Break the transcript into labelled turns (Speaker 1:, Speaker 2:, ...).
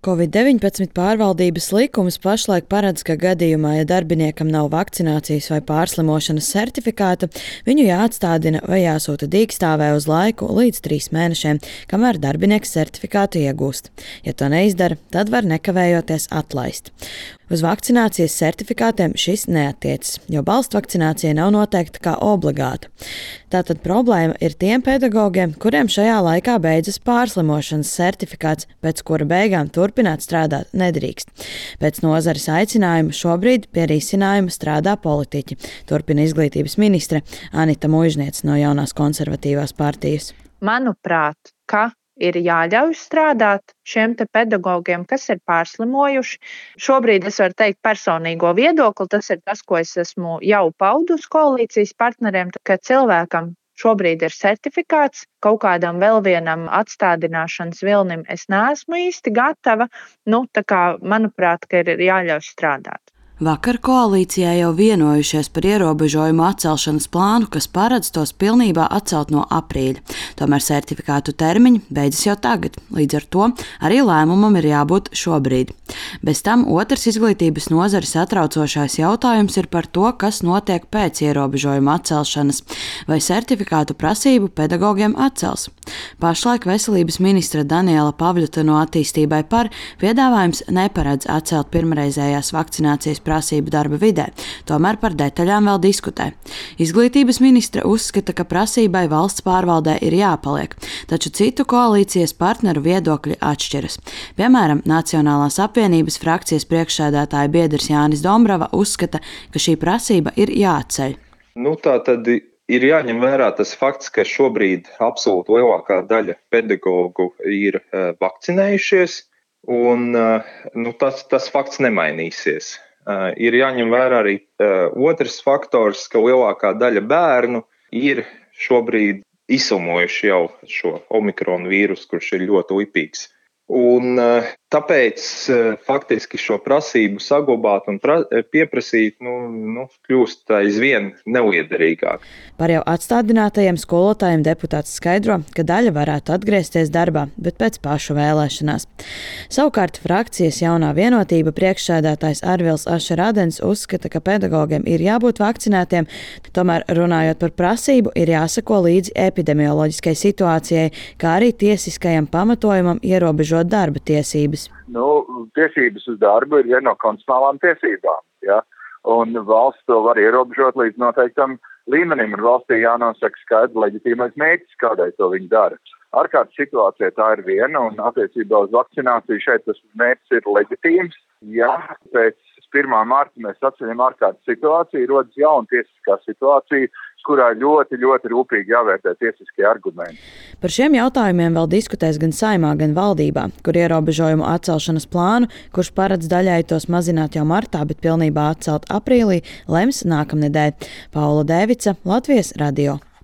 Speaker 1: Covid-19 pārvaldības likums pašlaik paredz, ka gadījumā, ja darbiniekam nav vakcinācijas vai pārslimošanas certifikāta, viņu jāatstādina vai jāsūta dīkstāvē uz laiku līdz 3 mēnešiem, kamēr darbinieks certifikātu iegūst. Ja to neizdara, tad var nekavējoties atlaist. Uz vakcinācijas certifikātiem šis neattiecas, jo balstvakcinācija nav noteikta kā obligāta. Tātad problēma ir tiem pedagogiem, kuriem šajā laikā beidzas pārslimošanas certifikāts, pēc kura beigām turpināt strādāt nedrīkst. Pēc nozares aicinājuma šobrīd pie risinājuma strādā politiķi, turpina izglītības ministre Anita Muižniece no Jaunās konservatīvās partijas.
Speaker 2: Manuprāt, ka ir jāļauj strādāt šiem te pedagogiem, kas ir pārslimojuši. Šobrīd es varu teikt personīgo viedokli, tas ir tas, ko es esmu jau paudusi koalīcijas partneriem, ka cilvēkam šobrīd ir certifikāts, kaut kādam vēl vienam atstādināšanas vilnim es neesmu īsti gatava, tā kā manuprāt, ka ir jāļauj strādāt.
Speaker 1: Vakar koalīcijā jau vienojušies par ierobežojumu atcelšanas plānu, kas paredz tos pilnībā atcelt no aprīļa. Tomēr certifikātu termiņi beidzas jau tagad, līdz ar to arī lēmumam ir jābūt šobrīd. Bez tam otrs izglītības nozares satraucošais jautājums ir par to, kas notiek pēc ierobežojuma atcelšanas, vai certifikātu prasību pedagogiem atcels. Pašlaik veselības ministra Daniela Pavļuta no Attīstībai par piedāvājums neparedz atcelt pirmreizējās vakcinācijas prasību darba vidē, tomēr par detaļām vēl diskutē. Izglītības ministre uzskata, ka prasībai valsts pārvaldē ir jāpaliek, taču citu koalīcijas partneru viedokļi atšķiras. Piemēram, Nacionālās apvienības frakcijas priekšsēdētāja biedrs Jānis Dombrava uzskata, ka šī prasība ir jāatceļ.
Speaker 3: Tā tad ir jāņem vērā tas fakts, ka šobrīd absolūti lielākā daļa pedagogu ir vakcinējušies, un tas fakts nemainīsies. Ir jāņem vērā arī otrs faktors, ka lielākā daļa bērnu ir šobrīd izslimojuši jau šo omikronu vīrusu, kurš ir ļoti lipīgs. Un tāpēc faktiski šo prasību saglabāt un pieprasīt kļūst aizvien neliederīgāk.
Speaker 1: Par jau atstādinātajiem skolotājiem deputāts skaidro, ka daļa varētu atgriezties darbā, bet pēc pašu vēlēšanās. Savukārt frakcijas Jaunā vienotība priekšsēdētājs Arvils Ašerādens uzskata, ka pedagogiem ir jābūt vakcinētiem, tomēr runājot par prasību ir jāsako līdzi epidemioloģiskai situācijai, kā arī tiesiskajam pamatojumam ierobežot darba tiesības.
Speaker 4: Tiesības uz darbu ir viena no konstitucionālām tiesībām, ja? Un valsts to var ierobežot līdz noteiktam līmenim, un valstī jānosaka skaidrs leģitīmais mērķis, kādai to viņi dara. Ārkārtas situācijā tā ir viena, un attiecībā uz vakcināciju šeit tas mērķis ir leģitīms. Ja pēc 1. marta mēs atceļam ārkārtas situāciju, rodas jauna tiesiskā situācija, kurā ļoti, ļoti rūpīgi jāvērtē tiesiskie argumenti.
Speaker 1: Par šiem jautājumiem vēl diskutēs gan Saeimā, gan valdībā, kur ierobežojumu atcelšanas plānu, kurš paredz daļēji tos mazināt jau martā, bet pilnībā atcelt aprīlī, lems nākamnedēļ. Paula Dēvica, Latvijas radio.